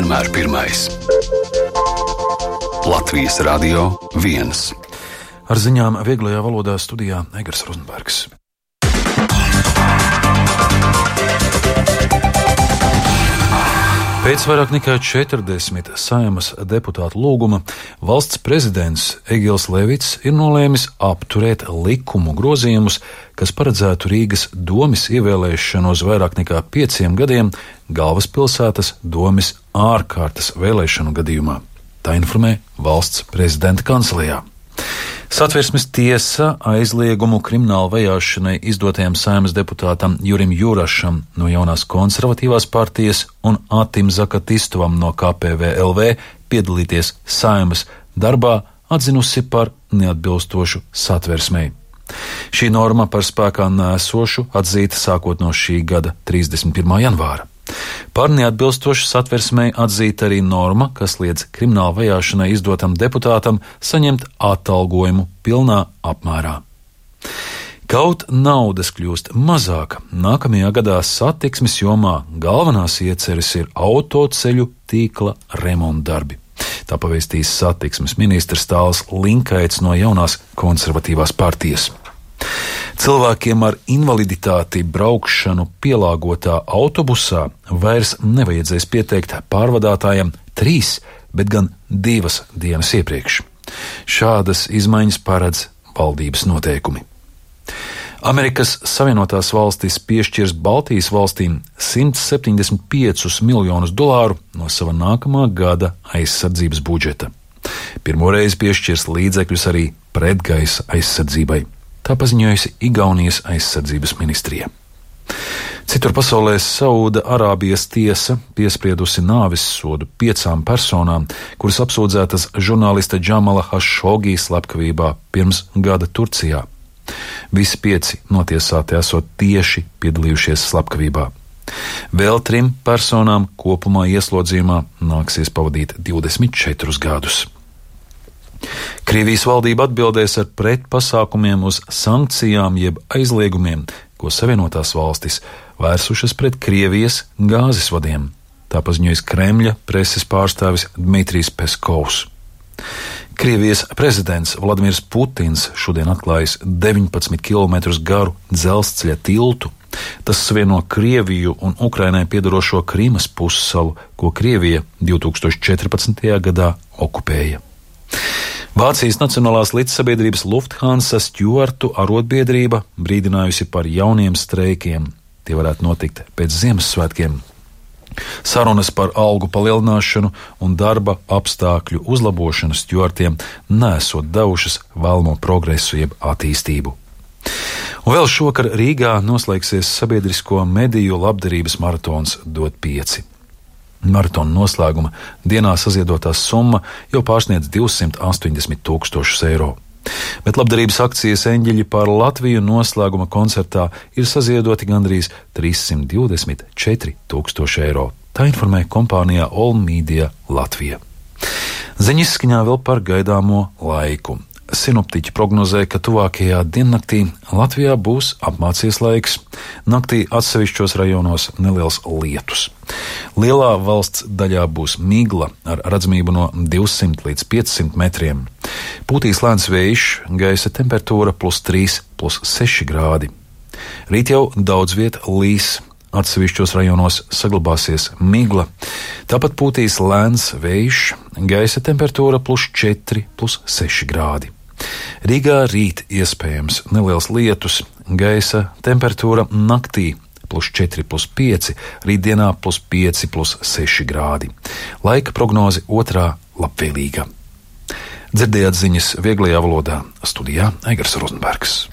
vienmēr pirmais. Latvijas Radio 1. Ar ziņām vieglajā valodā studijā Egars Rozenbergs. Pēc vairāk nekā 40 Saeimas deputātu lūguma valsts prezidents Egils Levits ir nolēmis apturēt likumu grozījumus, kas paredzētu Rīgas domes ievēlēšanu uz vairāk nekā 5 gadiem galvaspilsētas domes ārkārtas vēlēšanu gadījumā. Tā informē valsts prezidenta kancelejā. Satversmes tiesa aizliegumu krimināla vajāšanai izdotajam Saeimas deputātam Jurim Jurašam no jaunās konservatīvās partijas un Atim Zakatistovam no KPVLV piedalīties Saeimas darbā atzinusi par neatbilstošu Satversmei. Šī norma par spēkā nēsošu atzīta sākot no šī gada 31. janvāra. Par neatbilstošu Satversmei atzīta arī norma, kas liedz krimināla vajāšanai izdotam deputātam saņemt atalgojumu pilnā apmērā. Kaut naudas kļūst mazāk, nākamajā gadā satiksmes jomā galvenās ieceres ir autoceļu tīkla remontdarbi. Tā pavēstīs satiksmes ministrs Tāls Linkaits no jaunās konservatīvās partijas. Cilvēkiem ar invaliditāti braukšanu pielāgotā autobusā vairs nevajadzēs pieteikt pārvadātājam 3, bet gan 2 dienas iepriekš. Šādas izmaiņas paredz valdības noteikumi. Amerikas Savienotās valstis piešķirs Baltijas valstīm $175 miljonus no sava nākamā gada aizsardzības budžeta. Pirmoreiz piešķirs līdzekļus arī pretgaisa aizsardzībai. Tā paziņojusi Igaunijas aizsardzības ministrija. Citur pasaulē Sauda Arābijas tiesa piespriedusi nāves sodu 5 personām, kuras apsūdzētas žurnālista Džamala Hašogī slepkavībā pirms gada Turcijā. Visi 5 notiesāti esot tieši piedalījušies slepkavībā. Vēl 3 personām kopumā ieslodzījumā nāksies pavadīt 24 gadus. Krievijas valdība atbildēs ar pretpasākumiem uz sankcijām jeb aizliegumiem, ko Savienotās valstis vērsušas pret Krievijas gāzes vadiem. Tā paziņojas Kremļa preses pārstāvis Dmitrijs Peskovs. Krievijas prezidents Vladimirs Putins šodien atklājis 19 km garu dzelzceļa tiltu. Tas savieno Krieviju un Ukrainai piedarošo Krimas pussalu, ko Krievija 2014. gadā okupēja. Vācijas Nacionālās līdzsabiedrības Lufthansa stjuartu arotbiedrība brīdinājusi par jauniem streikiem. Tie varētu notikt pēc Ziemassvētkiem. Sarunas par algu palielināšanu un darba apstākļu uzlabošanu stjuartiem nesot devušas vēlamo progresu jeb attīstību. Un vēl šovakar Rīgā noslēgsies sabiedrisko mediju labdarības maratons Dot 5. Maratona noslēguma dienā saziedotā summa jau pārsniedz 280 000 eiro. Bet labdarības akcijas Eņģeļi par Latviju noslēguma koncertā ir saziedoti gandrīz 324 000 eiro. Tā informē kompānijā All Media Latvija. Ziņas izskaņā vēl par gaidāmo laiku. Sinoptiķi prognozē, ka tuvākajā diennaktī Latvijā būs apmācies laiks. Naktī atsevišķos rajonos neliels lietus. Lielā valsts daļā būs migla ar redzamību no 200 līdz 500 metriem. Pūtīs lēns vējš, gaisa temperatūra +3, +6 grādi. Rīt jau daudz viet līs. Atsevišķos rajonos saglabāsies migla. Tāpat pūtīs lēns vējš, gaisa temperatūra +4, +6 grādi. Rīgā rīt iespējams neliels lietus, gaisa temperatūra naktī +4, +5, rītdienā +5, +6 grādi. Laika prognoze otrā labvēlīga. Dzirdējāt ziņas vieglajā valodā, studijā Egars Rozenbergs.